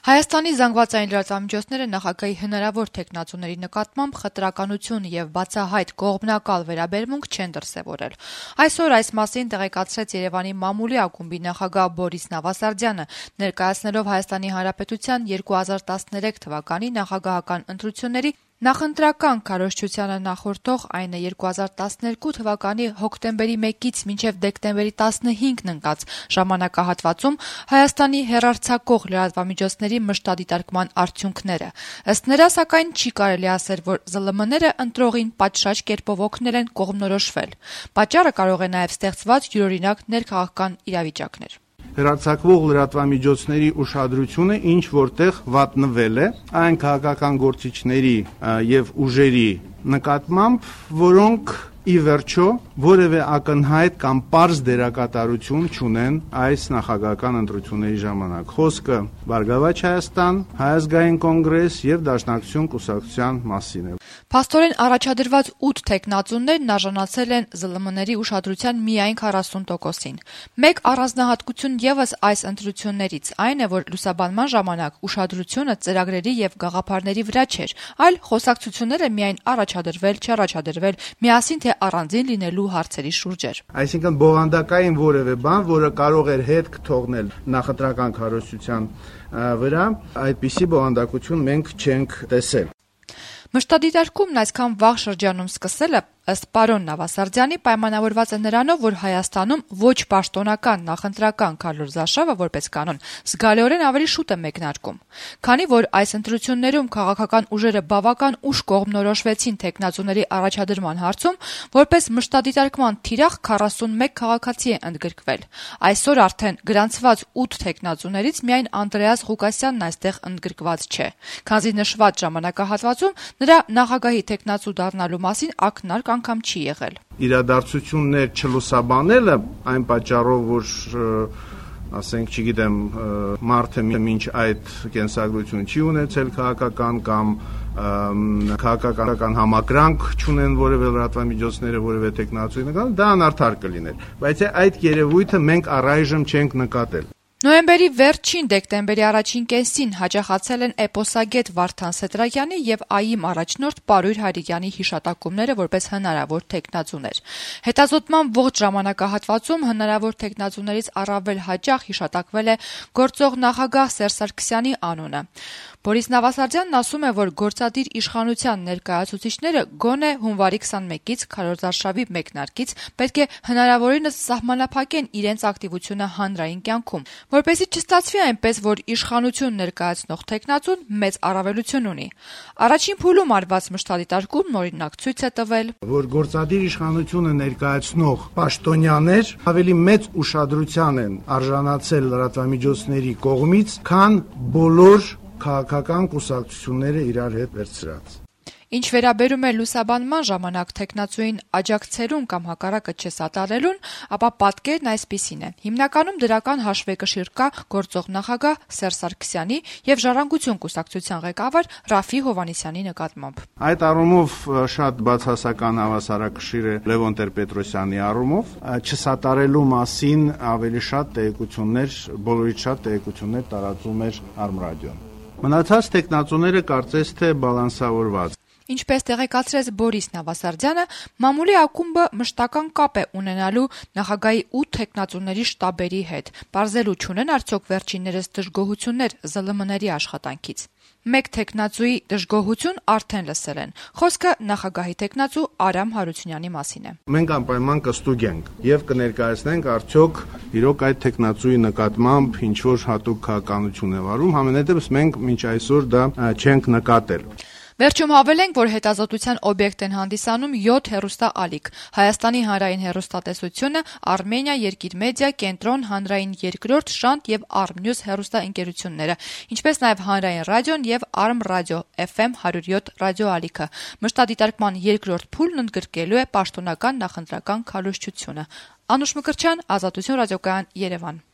Հայաստանի զանգվածային լրատվամիջոցները նախագահի հնարավոր թեկնածուների նկատմամբ խտրականություն եւ բացահայտ կողմնակալ վերաբերմունք չեն դրսեւորել։ Այսօր այս մասին տեղեկացրեց Երևանի մամուլի ակումբի նախագահ Բորիս Նավասարդյանը, ներկայացնելով Հայաստանի Հանրապետության 2013 թվականի նախագահական ընտրությունների նախընտրական քարոզչությանը նախորդող, այն է 2012 թվականի հոկտեմբերի 1-ից մինչև դեկտեմբերի 15-ն ընկած ժամանակահատվածում Հայաստանի հեռարձակող լրատվամիջոցների մշտադիտարկման արդյունքները։ Ըստ նրա, սակայն, չի կարելի ասել, որ ԶԼՄ-ները ընտրողին պատշաճ կերպով օգնել են կողմնորոշվել։ Պատճառը կարող է նաև ստեղծված յուրօրինակ ներքաղաքական իրավիճակներ։ Հեռարձակվող լրատվամիջոցների ուշադրությունը ինչ որտեղ վատնվել է այն քաղաքական գործիչների եւ ուժերի նկատմամբ, որոնք ի վերջո որևէ ակնհայտ կամ պարզ դերակատարություն չունեն այս նախագահական ընտրությունների ժամանակ։ Խոսքը Բարգավաճ Հայաստան, Հայ ազգային կոնգրես եւ Դաշնակցություն կուսակցության մասին է։ Փաստորեն առաջադրված 8 թեկնածուներն արժանացել են ԶԼՄ-ների ուշադրության միայն 40%-ին։ Մեկ առանձնահատկություն եւս այս ընտրություններից այն է, որ լուսաբանման ժամանակ ուշադրությունը ծրագրերի եւ գաղափարների վրա չէր, այլ խոսակցությունները միայն առաջադրվել, չառաջադրվել, միասին թե առանձին լինելու հարցերի շուրջ էր։ Այսինքն բովանդակային որևէ բան, որը կարող էր հետք թողնել նախընտրական քարոզչության վրա, այդպիսի բովանդակություն մենք չենք տեսել։ Մշտադիտարկումն այսքան վաղ շրջանում սկսելը, ըստ պարոն Նավասարդյանի, պայմանավորված է նրանով, որ Հայաստանում ոչ պաշտոնական նախընտրական քարոզարշավը որպես կանոն զգալիորեն ավելի շուտ է մեկնարկում։ Քանի որ այս ընտրություններում քաղաքական ուժերը բավական ուշ կողմնորոշվեցին թեկնածուների առաջադրման հարցում, որպես մշտադիտարկման թիրախ 41 քաղաքացի է ընդգրկվել։ Այսօր արդեն գրանցված 8 թեկնածուներից միայն Անդրեաս Ղուկասյանն այստեղ ընդգրկված չէ, քանզի նշված ժամանակահատվածում նրա նախագահի թեկնածու դառնալու մասին ակնարկ անգամ չի եղել։ Իրադարձություններ չլուսաբանելը այն պատճառով, որ ասենք, չգիտեմ, մարդը մինչ այդ կենսագրություն չի ունեցել քաղաքական կամ քաղաքական համակրանք չունեն որևէ լրատվամիջոցները, որևէ տեխնացուի նկատմամբ, դա անարդար կլիներ։ Բայց այդ երևույթը մենք առայժմ չենք նկատել։ Նոյեմբերի վերջին դեկտեմբերի առաջին կեսին հաջողացել են էպոսագետ Վարդան Սետրակյանի եւ ԱԻՄ առաջնորդ Պարույր Հայրիկյանի հիշատակումները որպես հնարավոր թեկնածուներ։ Հետազոտման ողջ ժամանակահատվածում հնարավոր թեկնածուներից առավել հաճախ հիշատակվել է գործող նախագահ Սերժ Սարգսյանի անունը։ Բորիս Նավասարդյանն ասում է, որ գործադիր իշխանության ներկայացուցիչները գոնե հունվարի 21-ից քարոզարշավի մեկնարկից պետք է հնարավորինս սահմանափակեն իրենց ակտիվությունը հանրային կյանքում, որպեսզի չստացվի այնպես, որ իշխանություն ներկայացնող թեկնածուն մեծ առավելություն ունի։ Առաջին փուլում արված մշտադիտարկումն օրինակ ցույց է տվել, որ գործադիր իշխանությունը ներկայացնող պաշտոնյաներ ավելի մեծ ուշադրության են արժանացել լրատվամիջոցների կողմից, քան բոլոր քաղաքական կուսակցությունները իրար հետ վերցրած։ Ինչ վերաբերում է լուսաբանման ժամանակ թեկնածուին աջակցելուն կամ հակառակը չսատարելուն, ապա պատկերն այսպիսին է։ Հիմնականում դրական հաշվեկշիռ կա գործող նախագահ Սերժ Սարգսյանի եւ Ժառանգություն կուսակցության ղեկավար Ռաֆի Հովհաննիսյանի նկատմամբ։ Այդ առումով շատ բացասական հավասարակշիռ է Լևոն Տեր-Պետրոսյանի առումով, չսատարելու մասին ավելի շատ տեղեկություններ, բոլորից շատ տեղեկություններ տարածում էր Արմրադիոն։ Մնացած տեխնացուները կարծես թե բալանսավորված։ Ինչպես տեղեկացրեց Բորիս Նավասարդյանը, մամուլի ակումբը մշտական կապ է ունենալու նախագահի 8 թեկնածուների շտաբերի հետ, պարզելու չունեն արդյոք վերջիններս դժգոհություններ ԶԼՄ-ների աշխատանքից։ Մեկ թեկնածուի դժգոհություն արդեն լսել են։ Խոսքը նախագահի թեկնածու Արամ Հարությունյանի մասին է։ Մենք անպայման կստուգենք եւ կներկայացնենք արդյոք իրոք այդ թեկնածուի նկատմամբ ինչ որ հատուկ քաղաքականություն է վարում, համենայնդեպս մենք մինչ այսօր դա չենք նկատել։ Վերջում հավելենք, որ հետազոտության օբյեկտ են հանդիսանում 7 հեռուստաալիք՝ Հայաստանի հանրային հեռուստատեսությունը, Արմենիա, Երկիր մեդիա, Կենտրոն, Հանրային երկրորդ, Շանթ եւ Արմնյուզ հեռուստաընկերությունները, ինչպես նաեւ Հանրային ռադիոն եւ Արմ ռադիո FM 107 ռադիոալիքը։ Մշտադիտարկման երկրորդ փուլն ընդգրկելու է պաշտոնական նախընտրական քարոզչությունը։ Անուշ Մկրտչյան, Ազատություն ռադիոկայան, Երևան։